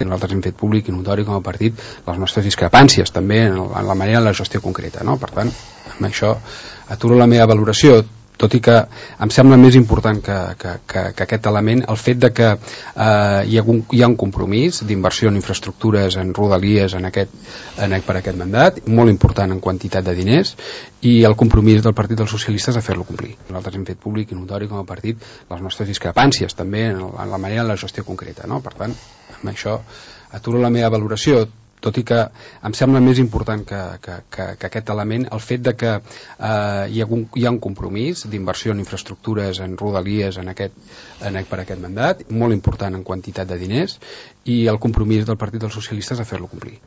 Nosaltres hem fet públic i notori com a partit les nostres discrepàncies també en la manera de la gestió concreta, no? Per tant, amb això aturo la meva valoració, tot i que em sembla més important que aquest element el fet de que hi ha un compromís d'inversió en infraestructures, en rodalies per aquest mandat, molt important en quantitat de diners, i el compromís del Partit dels Socialistes a fer-lo complir. Nosaltres hem fet públic i notori com a partit les nostres discrepàncies també en la manera de la gestió concreta, no? Per tant, amb això aturo la meva valoració, tot i que em sembla més important que aquest element el fet de que hi ha un compromís d'inversió en infraestructures, en rodalies per aquest mandat, molt important en quantitat de diners, i el compromís del Partit dels Socialistes a fer-lo complir.